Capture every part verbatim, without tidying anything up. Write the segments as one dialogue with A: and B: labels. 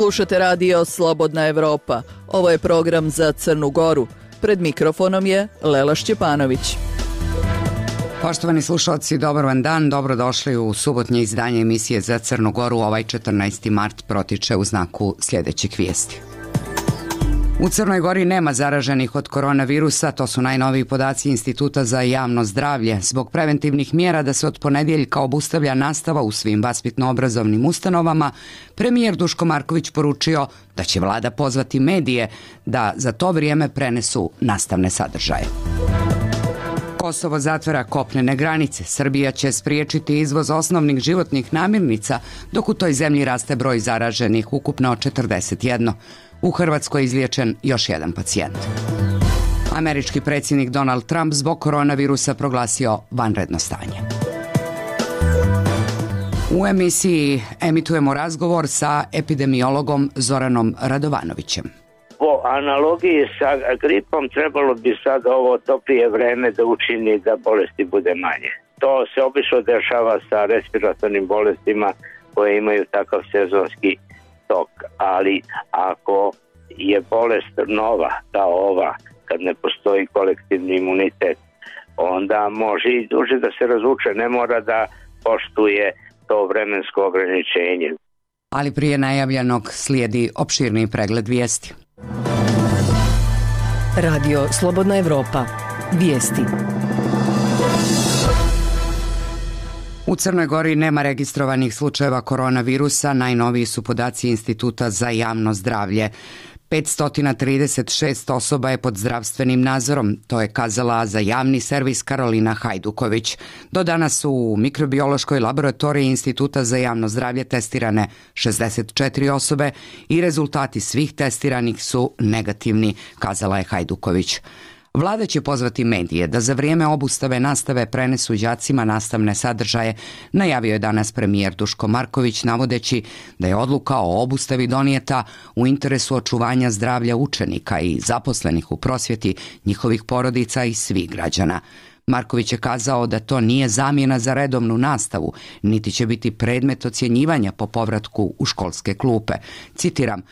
A: Slušate radio Slobodna Evropa. Ovo je program za Crnu Goru. Pred mikrofonom je Lela Šćepanović.
B: Poštovani slušalci, dobar vam dan. Dobrodošli u subotnje izdanje emisije za Crnu Goru. Ovaj četrnaesti mart protiče u znaku sljedećih vijesti. U Crnoj Gori nema zaraženih od koronavirusa, to su najnoviji podaci Instituta za javno zdravlje. Zbog preventivnih mjera da se od ponedjeljka obustavlja nastava u svim vaspitno-obrazovnim ustanovama, premijer Duško Marković poručio da će vlada pozvati medije da za to vrijeme prenesu nastavne sadržaje. Kosovo zatvara kopnene granice. Srbija će spriječiti izvoz osnovnih životnih namirnica, dok u toj zemlji raste broj zaraženih, ukupno četrdeset jedan. U Hrvatskoj je izliječen još jedan pacijent. Američki predsjednik Donald Trump zbog koronavirusa proglasio vanredno stanje. U emisiji emitujemo razgovor sa epidemiologom Zoranom Radovanovićem.
C: Po analogiji sa gripom trebalo bi sad ovo toplije vreme da učini da bolesti bude manje. To se obično dešava sa respiratornim bolestima koje imaju takav sezonski tok, ali ako je bolest nova kao ova, kad ne postoji kolektivni imunitet, onda može i duže da se razvuče, ne mora da poštuje to vremensko ograničenje.
B: Ali prije najavljenog slijedi opširni pregled vijesti.
D: Radio Slobodna Evropa. Vijesti.
B: U Crnoj Gori nema registrovanih slučajeva koronavirusa, najnoviji su podaci Instituta za javno zdravlje. petsto trideset šest osoba je pod zdravstvenim nadzorom, to je kazala za javni servis Karolina Hajduković. Do danas su u mikrobiološkoj laboratoriji Instituta za javno zdravlje testirane šezdeset četiri osobe i rezultati svih testiranih su negativni, kazala je Hajduković. Vlada će pozvati medije da za vrijeme obustave nastave prenesu đacima nastavne sadržaje, najavio je danas premijer Duško Marković, navodeći da je odluka o obustavi donijeta u interesu očuvanja zdravlja učenika i zaposlenih u prosvjeti, njihovih porodica i svih građana. Marković je kazao da to nije zamjena za redovnu nastavu, niti će biti predmet ocjenjivanja po povratku u školske klupe. Citiram: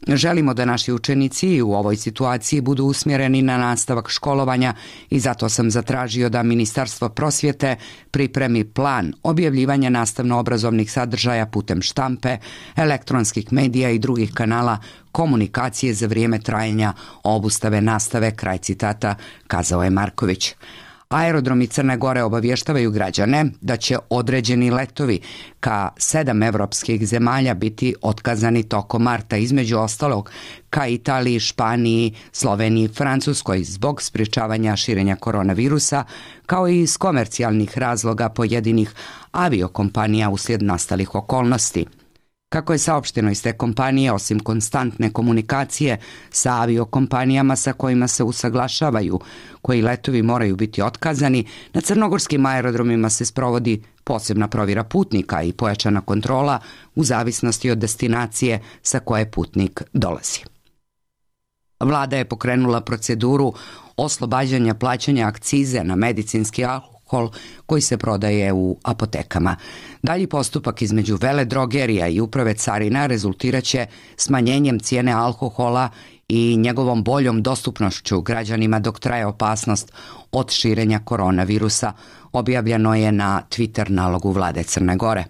B: želimo da naši učenici u ovoj situaciji budu usmjereni na nastavak školovanja i zato sam zatražio da Ministarstvo prosvjete pripremi plan objavljivanja nastavno-obrazovnih sadržaja putem štampe, elektronskih medija i drugih kanala komunikacije za vrijeme trajanja obustave nastave, kraj citata, kazao je Marković. Aerodromi Crne Gore obavještavaju građane da će određeni letovi ka sedam evropskih zemalja biti otkazani tokom marta, između ostalog ka Italiji, Španiji, Sloveniji i Francuskoj zbog sprječavanja širenja koronavirusa, kao i iz komercijalnih razloga pojedinih aviokompanija uslijed nastalih okolnosti. Kako je saopšteno iz te kompanije, osim konstantne komunikacije sa aviokompanijama sa kojima se usaglašavaju koji letovi moraju biti otkazani, na crnogorskim aerodromima se sprovodi posebna provjera putnika i pojačana kontrola u zavisnosti od destinacije sa koje putnik dolazi. Vlada je pokrenula proceduru oslobađanja plaćanja akcize na medicinski alkohol koji se prodaje u apotekama. Dalji postupak između veledrogerija i uprave carina rezultirat će smanjenjem cijene alkohola i njegovom boljom dostupnošću građanima dok traje opasnost od širenja koronavirusa, objavljeno je na Twitter nalogu vlade Crne Gore.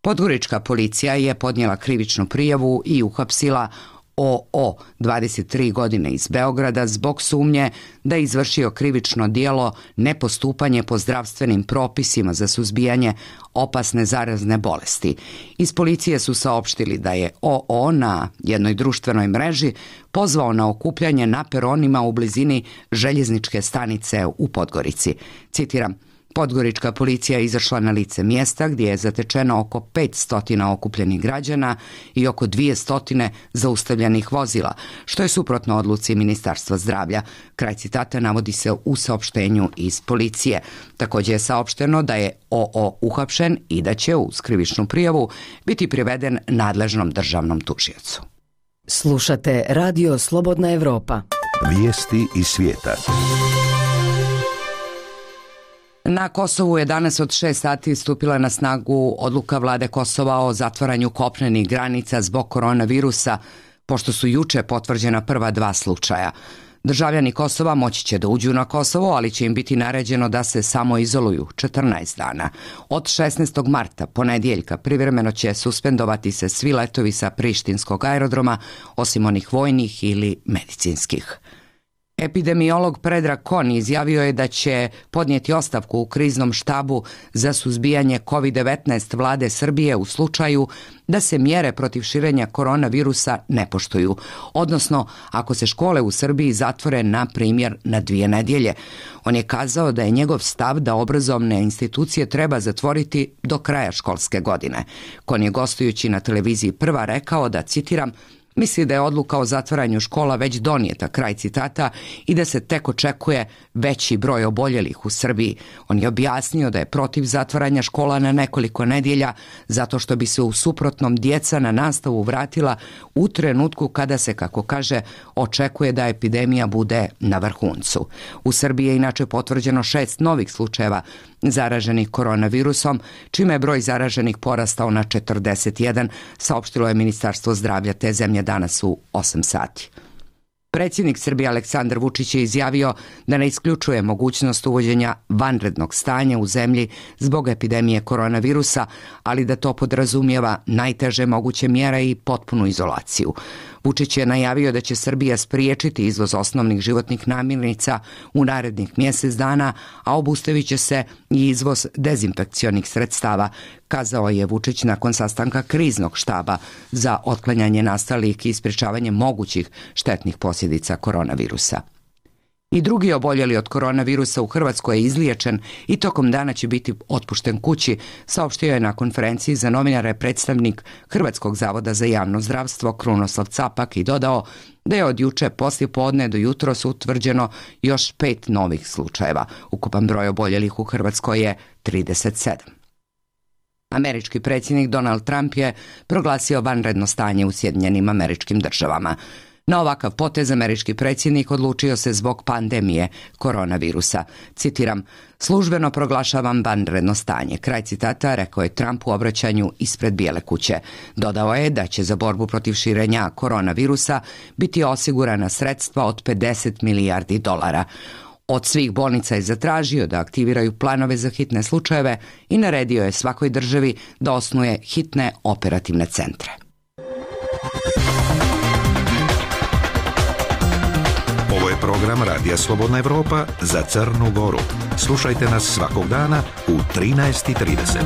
B: Podgorička policija je podnijela krivičnu prijavu i uhapsila O O, dvadeset tri godine, iz Beograda zbog sumnje da je izvršio krivično djelo nepostupanje po zdravstvenim propisima za suzbijanje opasne zarazne bolesti. Iz policije su saopštili da je O O na jednoj društvenoj mreži pozvao na okupljanje na peronima u blizini željezničke stanice u Podgorici. Citiram: Podgorička policija je izašla na lice mjesta gdje je zatečeno oko petsto okupljenih građana i oko dvjesto zaustavljenih vozila, što je suprotno odluci Ministarstva zdravlja. Kraj citata navodi se u saopštenju iz policije. Također je saopšteno da je O O uhapšen i da će uz krivičnu prijavu biti priveden nadležnom državnom tužiocu.
D: Slušate Radio Slobodna Evropa.
E: Vijesti iz svijeta.
B: Na Kosovu je danas od šest sati stupila na snagu odluka vlade Kosova o zatvaranju kopnenih granica zbog koronavirusa, pošto su juče potvrđena prva dva slučaja. Državljani Kosova moći će da uđu na Kosovo, ali će im biti naređeno da se samo izoluju četrnaest dana. Od šesnaestog marta, ponedjeljka, privremeno će suspendovati se svi letovi sa prištinskog aerodroma, osim onih vojnih ili medicinskih. Epidemiolog Predrag Kon izjavio je da će podnijeti ostavku u kriznom štabu za suzbijanje kovid devetnaest vlade Srbije u slučaju da se mjere protiv širenja koronavirusa ne poštuju, odnosno ako se škole u Srbiji zatvore na primjer na dvije nedjelje. On je kazao da je njegov stav da obrazovne institucije treba zatvoriti do kraja školske godine. Kon je gostujući na televiziji Prva rekao da, citiram, misli da je odluka o zatvaranju škola već donijeta, kraj citata, i da se tek očekuje veći broj oboljelih u Srbiji. On je objasnio da je protiv zatvaranja škola na nekoliko nedjelja, zato što bi se u suprotnom djeca na nastavu vratila u trenutku kada se, kako kaže, očekuje da epidemija bude na vrhuncu. U Srbiji je inače potvrđeno šest novih slučajeva zaraženih koronavirusom, čime je broj zaraženih porastao na četrdeset jedan, saopštilo je Ministarstvo zdravlja te zemlje danas u osam sati. Predsjednik Srbije Aleksandar Vučić je izjavio da ne isključuje mogućnost uvođenja vanrednog stanja u zemlji zbog epidemije koronavirusa, ali da to podrazumijeva najteže moguće mjere i potpunu izolaciju. Vučić je najavio da će Srbija spriječiti izvoz osnovnih životnih namirnica u narednih mjesec dana, a obustavit će se i izvoz dezinfekcionih sredstava, kazao je Vučić nakon sastanka kriznog štaba za otklanjanje nastalih i sprječavanje mogućih štetnih posljedica koronavirusa. I drugi oboljeli od koronavirusa u Hrvatskoj je izliječen i tokom dana će biti otpušten kući, saopštio je na konferenciji za novinare predstavnik Hrvatskog zavoda za javno zdravstvo Krunoslav Capak i dodao da je od juče poslije podne do jutros utvrđeno još pet novih slučajeva. Ukupan broj oboljelih u Hrvatskoj je trideset sedam. Američki predsjednik Donald Trump je proglasio vanredno stanje u Sjedinjenim Američkim Državama. Na ovakav potez američki predsjednik odlučio se zbog pandemije koronavirusa. Citiram, službeno proglašavam vanredno stanje. Kraj citata rekao je Trump u obraćanju ispred Bijele kuće. Dodao je da će za borbu protiv širenja koronavirusa biti osigurana sredstva od pedeset milijardi dolara. Od svih bolnica je zatražio da aktiviraju planove za hitne slučajeve i naredio je svakoj državi da osnuje hitne operativne centre.
E: Ovo je program Radija Slobodna Evropa za Crnu Goru. Slušajte nas svakog dana u trinaest i trideset.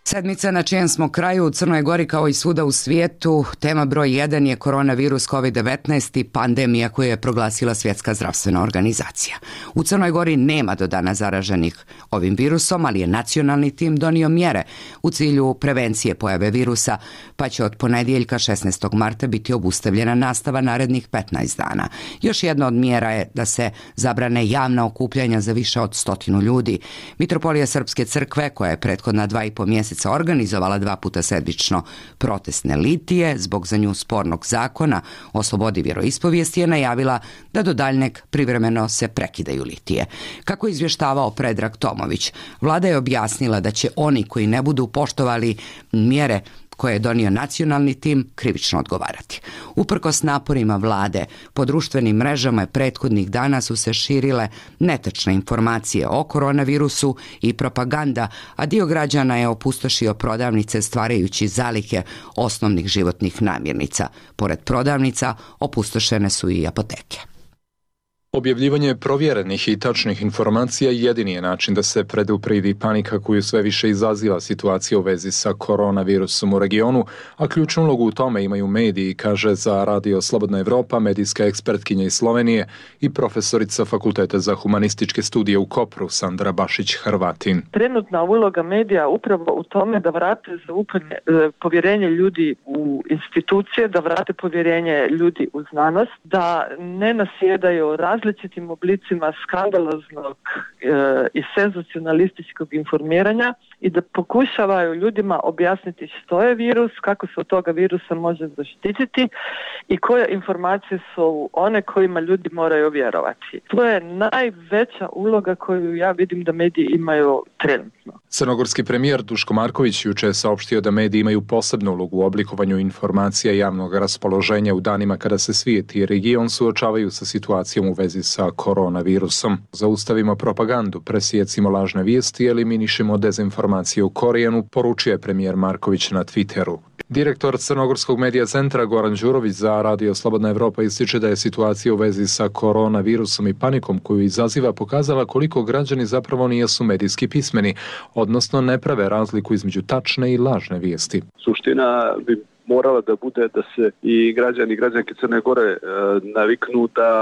B: Sedmica na čijem smo kraju u Crnoj Gori kao i svuda u svijetu. Tema broj jedan je koronavirus kovid devetnaest i pandemija koju je proglasila Svjetska zdravstvena organizacija. U Crnoj Gori nema do dana zaraženih ovim virusom, ali je nacionalni tim donio mjere u cilju prevencije pojave virusa, pa će od ponedjeljka šesnaestog marta biti obustavljena nastava narednih petnaest dana. Još jedna od mjera je da se zabrane javna okupljanja za više od stotinu ljudi. Mitropolija Srpske crkve, koja je prethodna dva i po mjeseca organizovala dva puta sedmično protestne litije zbog za nju spornog zakona o slobodi vjeroispovijesti, je najavila da do daljnjeg privremeno se prekidaju litije. Kako je izvještavao Predrag Tomović, vlada je objasnila da će oni koji ne budu poštovali mjere koje je donio nacionalni tim krivično odgovarati. Uprkos naporima vlade, po društvenim mrežama prethodnih dana su se širile netačne informacije o koronavirusu i propaganda, a dio građana je opustošio prodavnice stvarajući zalihe osnovnih životnih namirnica. Pored prodavnica opustošene su i apoteke.
F: Objavljivanje provjerenih i tačnih informacija jedini je način da se predupredi panika koju sve više izaziva situacija u vezi sa koronavirusom u regionu, a ključnu ulogu u tome imaju mediji, kaže za Radio Slobodna Evropa medijska ekspertkinja iz Slovenije i profesorica Fakulteta za humanističke studije u Kopru Sandra Bašić-Hrvatin.
G: Trenutna uloga medija upravo u tome da vrate zaupanje, povjerenje ljudi u institucije, da vrate povjerenje ljudi u znanost, da ne nasjedaju raz različitim oblicima skandaloznog e, i senzacionalističkog informiranja i da pokušavaju ljudima objasniti što je virus, kako se od toga virusa može zaštititi i koje informacije su one kojima ljudi moraju vjerovati. To je najveća uloga koju ja vidim da mediji imaju trenutno.
F: Crnogorski premijer Duško Marković juče je saopštio da mediji imaju posebnu ulogu u oblikovanju informacija javnog raspoloženja u danima kada se svijet i region suočavaju sa situacijom u vezi sa koronavirusom. Zaustavimo propagandu, presijecimo lažne vijesti i eliminišemo dezinformacije u korijenu, poručio je premijer Marković na Twitteru. Direktor Crnogorskog medija centra Goran Đurović za Radio Slobodna Evropa ističe da je situacija u vezi sa koronavirusom i panikom koju izaziva pokazala koliko građani zapravo nisu medijski pismeni, odnosno ne prave razliku između tačne i lažne vijesti.
H: Suština bi morala da bude da se i građani i građanke Crne Gore e, naviknu da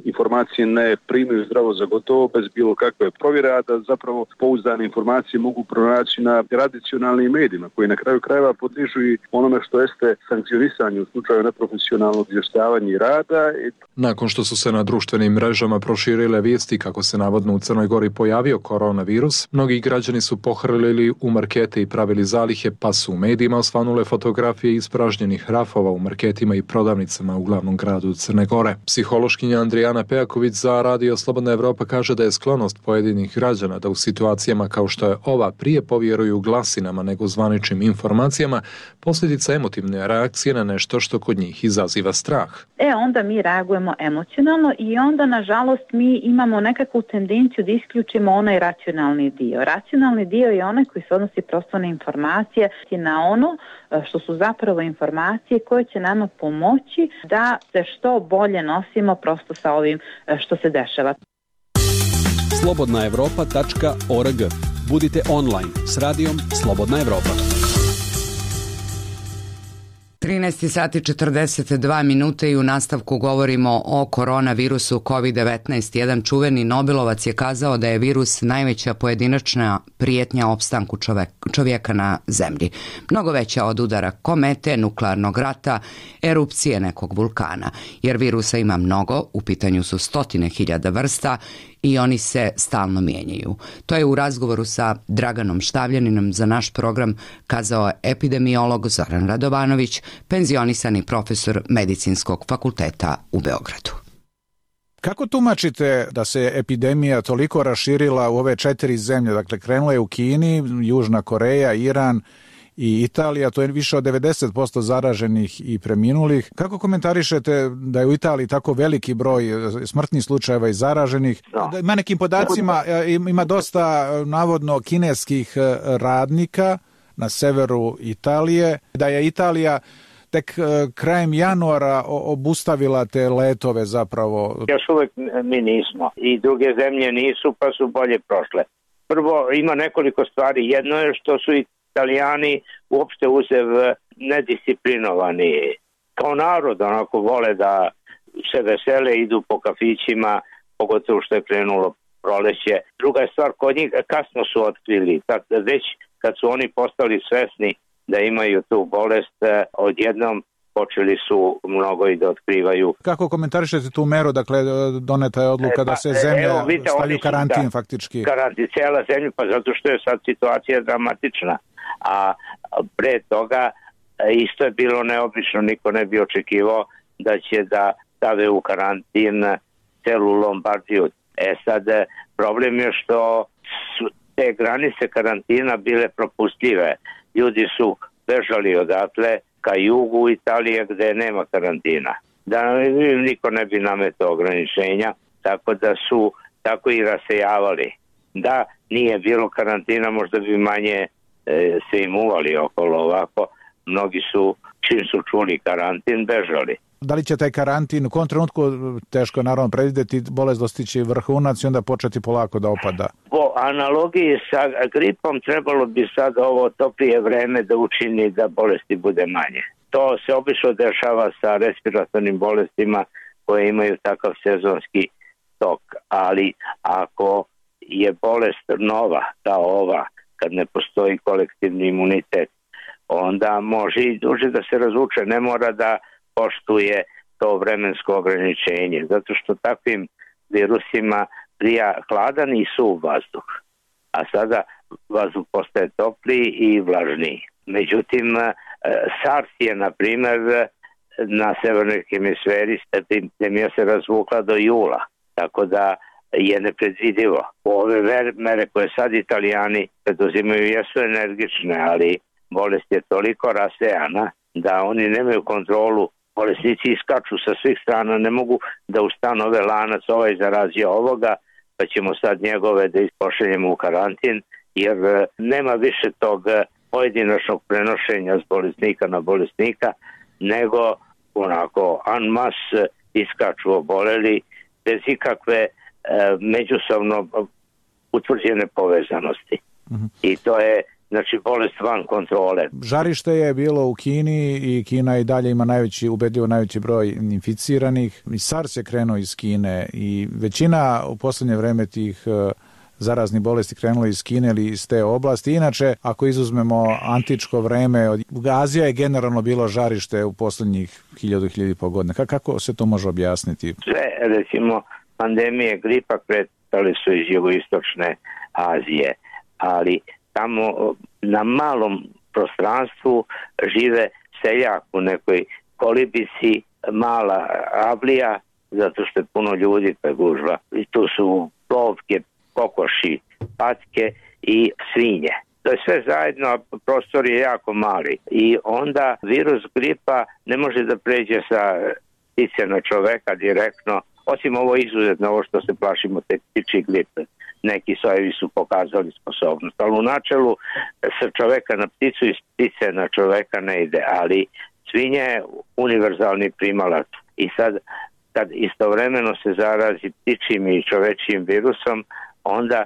H: informacije ne primaju zdravo za gotovo bez bilo kakve provjere, a da zapravo pouzdane informacije mogu pronaći na tradicionalnim medijima koji na kraju krajeva podližu i onome što jeste sankcionisanje u slučaju neprofesionalnog izvještavanja i rada.
F: Nakon što su se na društvenim mrežama proširile vijesti kako se navodno u Crnoj Gori pojavio koronavirus, mnogi građani su pohrlili u markete i pravili zalihe, pa su u medijima osvanule fotografije ispražnjenih rafova u marketima i prodavnicama u glavnom gradu Crne Gore. Psihološkinja Andrijana Pejaković za Radio Slobodna Evropa kaže da je sklonost pojedinih građana da u situacijama kao što je ova prije povjeruju glasinama nego zvaničnim informacijama posljedica emotivne reakcije na nešto što kod njih izaziva strah.
I: E onda mi reagujemo emocionalno i onda nažalost mi imamo nekakvu tendenciju da isključimo onaj racionalni dio. Racionalni dio je onaj koji se odnosi prosto na informacije i na ono što su zapravo informacije koje će nama pomoći da se što bolje nosimo prosto sa ovim što se dešava.
J: slobodna evropa tačka org. Budite online s radijom Slobodna Evropa.
B: trinaest sati četrdeset dva minute i u nastavku govorimo o koronavirusu kovid devetnaest. Jedan čuveni Nobelovac je kazao da je virus najveća pojedinačna prijetnja opstanku čovjeka na zemlji. Mnogo veća od udara komete, nuklearnog rata, erupcije nekog vulkana. Jer virusa ima mnogo, u pitanju su stotine hiljada vrsta i oni se stalno mijenjaju. To je u razgovoru sa Draganom Štavljaninom za naš program kazao epidemiolog Zoran Radovanović, penzionisani profesor Medicinskog fakulteta u Beogradu.
K: Kako tumačite da se epidemija toliko raširila u ove četiri zemlje? Dakle, krenula je u Kini, Južna Koreja, Iran i Italija, to je više od devedeset posto zaraženih i preminulih. Kako komentarišete da je u Italiji tako veliki broj smrtnih slučajeva i zaraženih? Da. Ima nekim podacima, ima dosta navodno kineskih radnika na severu Italije, da je Italija tek krajem januara obustavila te letove zapravo.
C: Još uvijek mi nismo i druge zemlje nisu, pa su bolje prošle. Prvo, ima nekoliko stvari. Jedno je što su Italijani uopšte uzev nedisciplinovani. Kao narod onako vole da se vesele, idu po kafićima, pogotovo što je krenulo proleće. Druga je stvar, kod njih kasno su otkrili. Već kad su oni postali svesni da imaju tu bolest, odjednom počeli su mnogo i da otkrivaju.
K: Kako komentarišete tu meru, dakle doneta je odluka e, pa, da se zemlja evo, vidite, stavi u karantin da, faktički?
C: Karantin, cijela zemlja, pa zato što je sad situacija dramatična. A pre toga isto je bilo neobično, niko ne bi očekivao da će da stave u karantin celu Lombardiju. E sad, problem je što su te granice karantina bile propustljive. Ljudi su bežali odatle ka jugu Italije gde nema karantina. Da niko ne bi nametao ograničenja, tako da su tako i rasejavali. Da nije bilo karantina, možda bi manje e, se imuvali okolo ovako. Mnogi su, čim su čuli karantin, bežali.
K: Da li će taj karantin u kom trenutku, teško naravno predvidjeti, bolest dostići vrhunac i onda početi polako da opada?
C: Po analogiji sa gripom trebalo bi sad ovo toplije vreme da učini da bolesti bude manje. To se obično dešava sa respiratornim bolestima koje imaju takav sezonski tok, ali ako je bolest nova, kao ova, kad ne postoji kolektivni imunitet, onda može i duže da se razvuče, ne mora da poštuje to vremensko ograničenje, zato što takvim virusima prija hladan i suv vazduh, a sada vazduh postaje topliji i vlažniji. Međutim, SARS je, na primjer, na severnoj hemisferi epidemija se razvukla do jula, tako da je nepredvidivo. Ove mere koje sad Italijani preduzimaju jesu energične, ali bolest je toliko rasejana da oni nemaju kontrolu. Bolesnici iskaču sa svih strana, ne mogu da ustanove lanac, ovaj zarazio ovoga, pa ćemo sad njegove da ispošaljemo u karantin, jer nema više tog pojedinačnog prenošenja s bolesnika na bolesnika, nego onako en masse iskaču oboleli bez ikakve e, međusobno utvrđene povezanosti. Mm-hmm. I to je, znači, bolest van kontrole.
K: Žarište je bilo u Kini i Kina i dalje ima najveći, ubedljivo najveći broj inficiranih. I SARS je krenuo iz Kine i većina u posljednje vreme tih uh, zaraznih bolesti krenulo iz Kine ili iz te oblasti. Inače, ako izuzmemo antičko vreme, Azija je generalno bilo žarište u posljednjih hiljadu, hiljadu i pol godina. Kako se to može objasniti?
C: Sve, recimo, pandemije gripa kretali su iz jugoistočne Azije, ali tamo na malom prostranstvu žive seljak u nekoj kolibici, mala avlija, zato što je puno ljudi pa gužva. I tu su plovke, kokoši, patke i svinje. To je sve zajedno, a prostor je jako mali. I onda virus gripa ne može da pređe sa ptice na čoveka direktno, osim ovo izuzetno, ovo što se plašimo te ptičji gripe. Neki sojevi su pokazali sposobnost, ali u načelu sa čoveka na pticu i ptice na čoveka ne ide, ali svinja je univerzalni primalac. I sad, kad istovremeno se zarazi ptičjim i čovečijim virusom, onda e,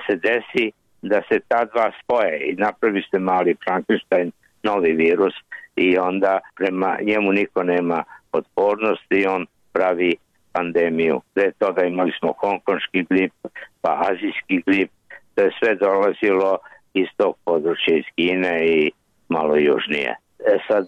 C: se desi da se ta dva spoje i napravi se mali Frankenstein, novi virus, i onda prema njemu niko nema otpornosti i on pravi pandemiju. Pre toga imali smo hongkonški grip, pa azijski grip, to je sve dolazilo iz tog područja, iz Kine i malo južnije. E sad,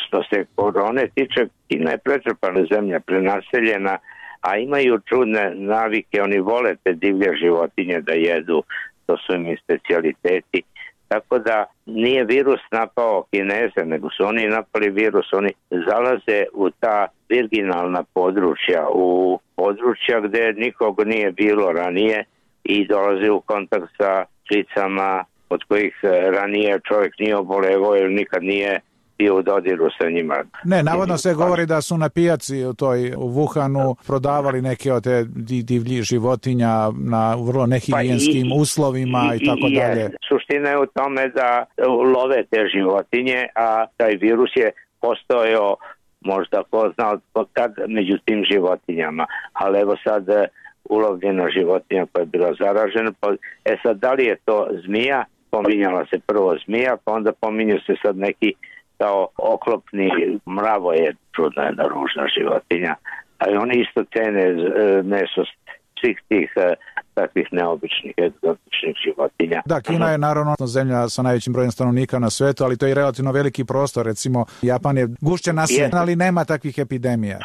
C: što se korone tiče, Kina je pretrpana zemlja, prenaseljena, a imaju čudne navike, oni vole te divlje životinje da jedu, to su im specijaliteti. Tako da nije virus napao Kineze, nego su oni napali virus, oni zalaze u ta virginalna područja, u područja gde nikog nije bilo ranije i dolaze u kontakt sa pticama od kojih ranije čovjek nije obolevao ili nikad nije bio u dodiru sa njima.
K: Ne, navodno se govori da su na pijaci u toj u Wuhanu prodavali neke od te divlji životinja na vrlo nehigijenskim pa i, uslovima i, i tako i, dalje.
C: Suština je u tome da love te životinje, a taj virus je postojao možda ko zna kad među tim životinjama. Ali evo sad ulovljena životinja koja je bila zaražena. E sad, da li je to zmija? Pominjala se prvo zmija, pa onda pominju se sad neki kao oklopni mravo, je čudna jedna ružna životinja, ali oni isto cene meso svih tih takvih neobičnih egzotičnih životinja.
K: Da, Kina je naravno zemlja sa najvećim brojem stanovnika na svetu, ali to je relativno veliki prostor. Recimo, Japan je gušće naseljen, ali nema takvih epidemija.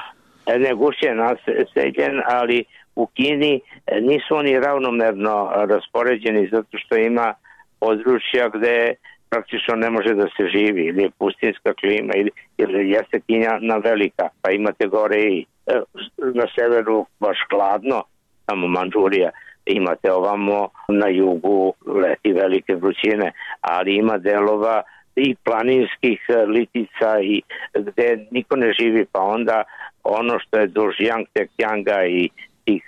C: Ne, gušće naseljen, ali u Kini nisu oni ravnomerno raspoređeni zato što ima područja gde praktično ne može da se živi, ili je pustinska klima, ili, ili jeste Kina velika, pa imate gore i e, na severu baš hladno, tamo Mandžurija, imate ovamo na jugu leti velike vrućine, ali ima delova i planinskih litica i gde niko ne živi, pa onda ono što je duž Jangtekjanga i tih,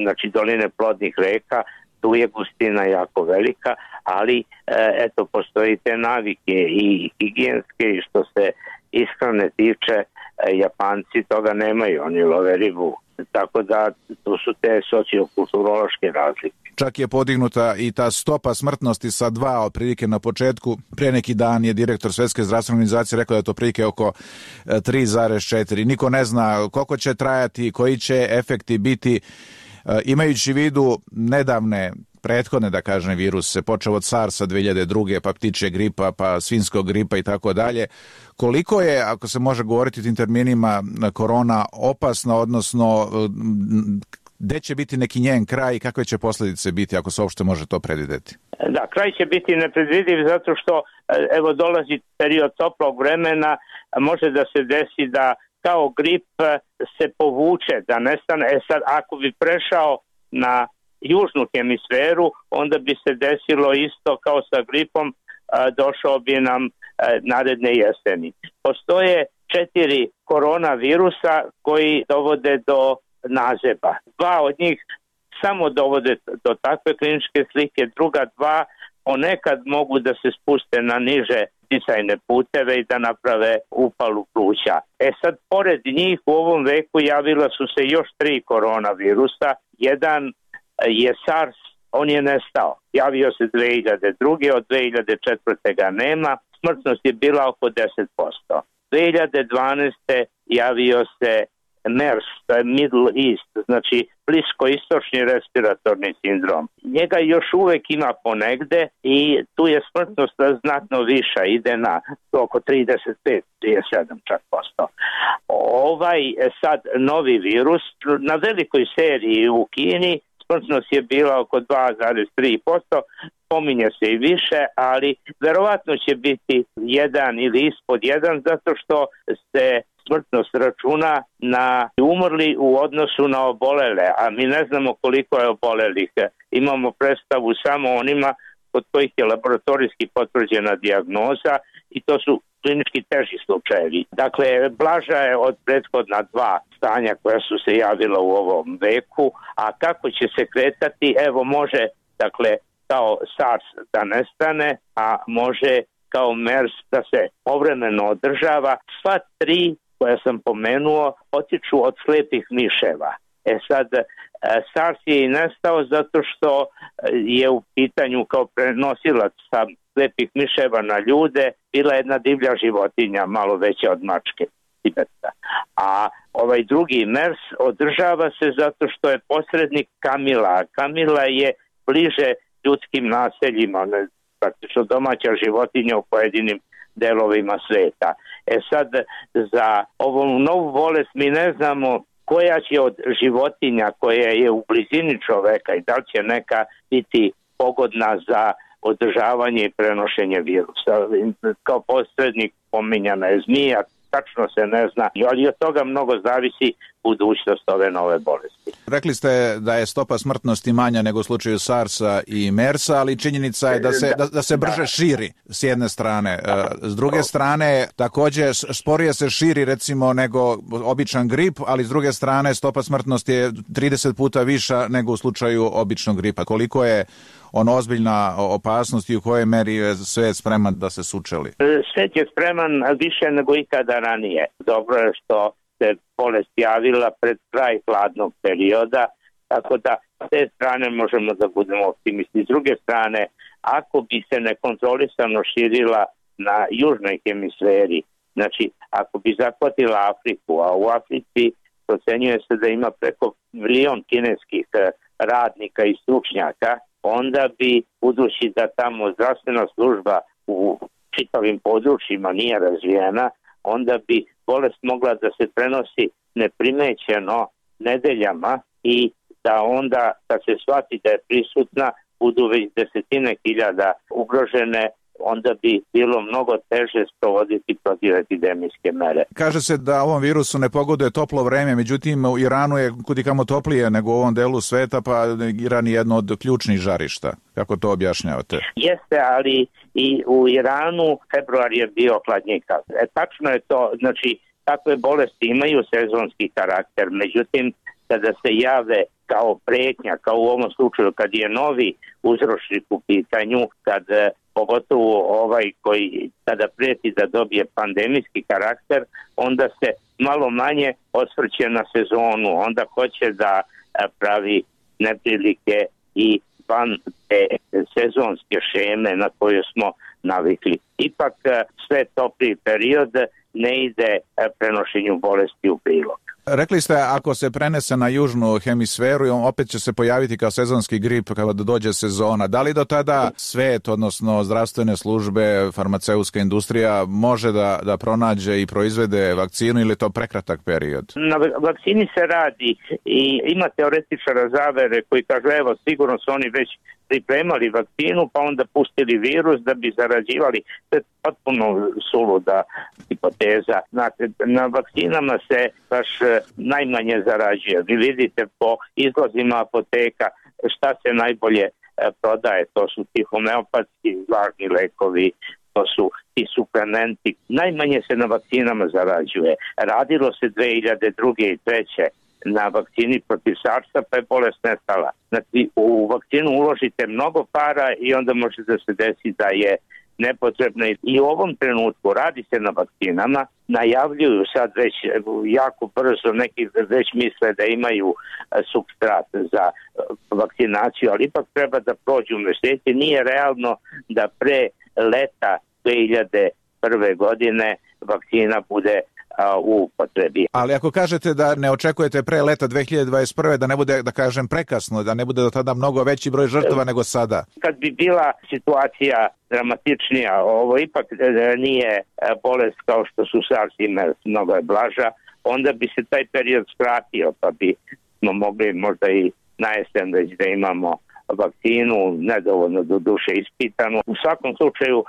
C: znači doline plodnih reka, tu je gustina jako velika, ali eto, postoji te navike i higijenske, i što se ishrane tiče, Japanci toga nemaju, oni love ribu. Tako da to su te sociokulturološke razlike.
K: Čak je podignuta i ta stopa smrtnosti sa dva otprilike na početku. Pre neki dan je direktor Svjetske zdravstvene organizacije rekao da je to otprilike oko tri zarez četiri. Niko ne zna koliko će trajati, koji će efekti biti. Imajući u vidu nedavne prethodne, da kažem, viruse, počeo od SARS-a dve hiljade druge, pa ptičje gripa, pa svinjskog gripa i tako dalje. Koliko je, ako se može govoriti tim terminima, korona opasna, odnosno gde će biti neki njen kraj i kakve će posljedice biti, ako se uopšte može to predvideti?
C: Da, kraj će biti nepredvidiv zato što evo dolazi period toplog vremena, može da se desi da kao grip se povuče, da nestane. E sad, ako bi prešao na južnu hemisferu, onda bi se desilo isto kao sa gripom, došao bi nam naredne jeseni. Postoje četiri koronavirusa koji dovode do nazeba. Dva od njih samo dovode do takve kliničke slike, druga dva ponekad mogu da se spuste na niže disajne puteve i da naprave upalu pluća. E sad, pored njih u ovom veku javila su se još tri koronavirusa. Jedan je SARS, on je nestao. Javio se dve hiljade druge, od dve hiljade četvrte ga nema. Smrtnost je bila oko deset posto. dve hiljade dvanaeste javio se MERS, to je Middle East, znači bliskoistočni respiratorni sindrom. Njega još uvek ima ponegde i tu je smrtnost znatno viša, ide na oko trideset pet do trideset sedam čak posto. Ovaj sad novi virus na velikoj seriji u Kini smrtnost je bila oko dva zarez tri posto, pominje se i više, ali verovatno će biti jedan ili ispod jedan zato što se smrtnost računa na umrli u odnosu na obolele, a mi ne znamo koliko je obolelih. Imamo predstavu samo onima kod kojih je laboratorijski potvrđena dijagnoza i to su klinički teži slučajevi. Dakle, blaža je od prethodna dva stanja koja su se javila u ovom veku, a kako će se kretati, evo može, dakle, kao SARS da nestane, a može kao MERS da se povremeno održava. Sva tri koja sam pomenuo potiču od slepih miševa. E sad, SARS je i nestao zato što je u pitanju kao prenosilac sa slepih miševa na ljude bila jedna divlja životinja, malo veća od mačke. A ovaj drugi MERS održava se zato što je posrednik kamila. Kamila je bliže ljudskim naseljima, praktično domaća životinja u pojedinim delovima sveta. E sad, za ovu novu bolest mi ne znamo koja će od životinja koja je u blizini čoveka i da li će neka biti pogodna za održavanje i prenošenje virusa. Kao posrednik pominjana je zmija, tačno se ne zna, ali od toga mnogo zavisi budućnost ove nove bolesti.
K: Rekli ste da je stopa smrtnosti manja nego u slučaju SARS-a i MERS-a, ali činjenica je da se, da, da se brže da. širi s jedne strane. S druge strane, također sporije se širi recimo nego običan grip, ali s druge strane stopa smrtnosti je trideset puta viša nego u slučaju običnog gripa. Koliko je on ozbiljna opasnost i u kojoj meri je svet spreman da se sučeli?
C: Svet je spreman više nego ikada ranije. Dobro je što se bolest javila pred kraj hladnog perioda, tako da s te strane možemo da budemo optimisti. S druge strane, ako bi se nekontrolisano širila na južnoj hemisferi, znači ako bi zahvatila Afriku, a u Africi procenjuje se da ima preko milion kineskih radnika i stručnjaka, onda bi, budući da tamo zdravstvena služba u čitavim područjima nije razvijena, onda bi bolest mogla da se prenosi neprimećeno nedeljama i da onda, kad se shvati da je prisutna, budu već desetine hiljada ugrožene, onda bi bilo mnogo teže sprovoditi protivepidemijske mere.
K: Kaže se da ovom virusu ne pogoduje toplo vreme, međutim u Iranu je kudikamo toplije nego u ovom delu sveta, pa Iran je jedno od ključnih žarišta. Kako to objašnjavate?
C: Jeste, ali i u Iranu februar je bio hladnjikav. E, tačno je to, znači takve bolesti imaju sezonski karakter, međutim kada se jave kao pretnja, kao u ovom slučaju kad je novi uzročnik u pitanju, kad pogotovo ovaj koji kada prijeti da dobije pandemijski karakter, onda se malo manje osvrće na sezonu, onda hoće da pravi neprilike i van te sezonske šeme na koje smo navikli. Ipak sve topliji period ne ide prenošenju bolesti u prilog.
K: Rekli ste, ako se prenese na južnu hemisferu, opet će se pojaviti kao sezonski grip kada dođe sezona. Da li do tada svet, odnosno zdravstvene službe, farmaceutska industrija može da, da pronađe i proizvede vakcinu ili je to prekratak period?
C: Na vakcini se radi i ima teoretičara zavere koji kažu, evo, sigurno su oni već pripremali vakcinu, pa onda pustili virus da bi zarađivali. To je potpuno suluda hipoteza. Znate, na vakcinama se baš najmanje zarađuje. Vi vidite po izlazima apoteka šta se najbolje prodaje. To su ti homeopatski važni lekovi, to su ti suplementi. Najmanje se na vakcinama zarađuje. Radilo se dve hiljade druge i treće na vakcini protiv sarsa, pa je bolest nestala. Znači, u vakcinu uložite mnogo para i onda može da se desi da je nepotrebno. I u ovom trenutku radi se na vakcinama, najavljuju sad već jako brzo, neki već misle da imaju supstrat za vakcinaciju, ali ipak treba da prođu meseci. Nije realno da pre leta dve hiljade prve godine vakcina bude u upotrebi.
K: Ali ako kažete da ne očekujete pre leta dve hiljade dvadeset prve da ne bude, da kažem, prekasno, da ne bude do tada mnogo veći broj žrtava nego sada?
C: Kad bi bila situacija dramatičnija, ovo ipak nije bolest kao što su SARS i MERS, mnogo je blaža, onda bi se taj period skratio, pa bi smo mogli možda i na jesen već da imamo vakcinu, nedovoljno do duše ispitanu. U svakom slučaju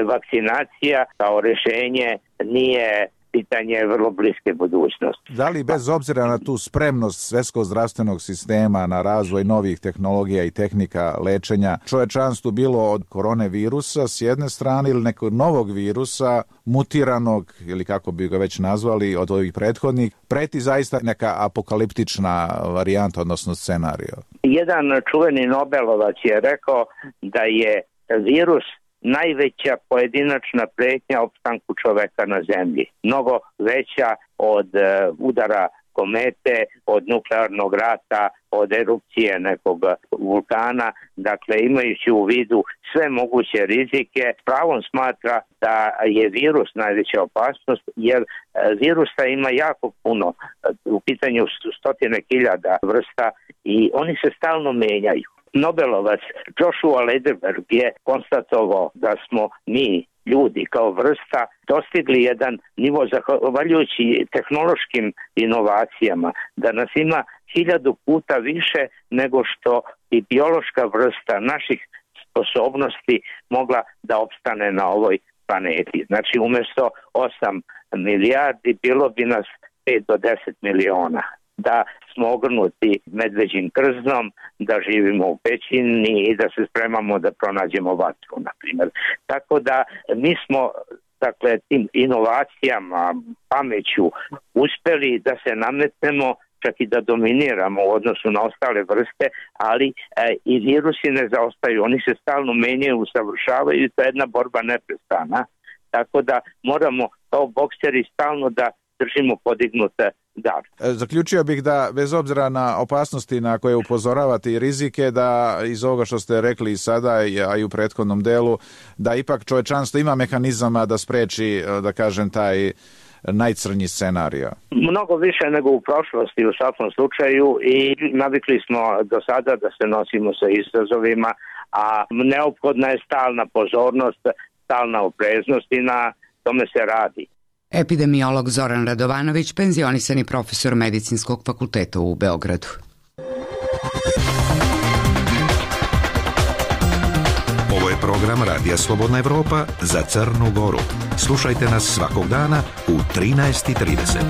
C: vakcinacija kao rješenje nije pitanje vrlo bliske budućnosti.
K: Da li bez obzira na tu spremnost svjetskog zdravstvenog sistema na razvoj novih tehnologija i tehnika lečenja čovečanstvu bilo od korone virusa s jedne strane ili nekog novog virusa mutiranog ili kako bi ga već nazvali od ovih prethodnih, preti zaista neka apokaliptična varijanta, odnosno scenario? Jedan
C: čuveni Nobelovac je rekao da je virus najveća pojedinačna pretnja opstanku čoveka na zemlji. Mnogo veća od uh, udara komete, od nuklearnog rata, od erupcije nekog vulkana. Dakle, imajući u vidu sve moguće rizike, pravom smatra da je virus najveća opasnost, jer uh, virusa ima jako puno. U pitanju stotine hiljada vrsta i oni se stalno menjaju. Nobelovac Joshua Lederberg je konstatovao da smo mi, ljudi kao vrsta, dostigli jedan nivo zahvaljujući tehnološkim inovacijama, da nas ima hiljadu puta više nego što i biološka vrsta naših sposobnosti mogla da opstane na ovoj planeti. Znači, umjesto osam milijardi bilo bi nas pet do deset miliona. Da smo ogrnuti medveđim krznom, da živimo u pećini i da se spremamo da pronađemo vatru, na primjer. Tako da mi smo, dakle, tim inovacijama, pameću uspjeli da se nametnemo, čak i da dominiramo u odnosu na ostale vrste, ali e, i virusi ne zaostaju, oni se stalno menjaju, usavršavaju i to je jedna borba neprestana. Tako da moramo kao bokseri stalno da držimo podignute dar.
K: Zaključio bih da bez obzira na opasnosti na koje upozoravate i rizike, da iz ovoga što ste rekli i sada, a i u prethodnom delu, da ipak čovečanstvo ima mehanizama da spreči, da kažem, taj najcrnji scenario.
C: Mnogo više nego u prošlosti u svakom slučaju i navikli smo do sada da se nosimo sa izazovima, a neophodna je stalna pozornost, stalna opreznost i na tome se radi.
B: Epidemiolog Zoran Radovanović, penzionisani profesor Medicinskog fakulteta u Beogradu.
E: Ovo je program Radija Slobodna Evropa za Crnu Goru. Slušajte nas svakog dana u trinaest i trideset.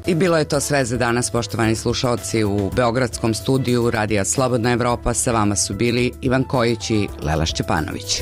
B: I bilo je to sve za danas, poštovani slušalci. U beogradskom studiju Radija Slobodna Evropa sa vama su bili Ivan Kojić i Lela Šćepanović.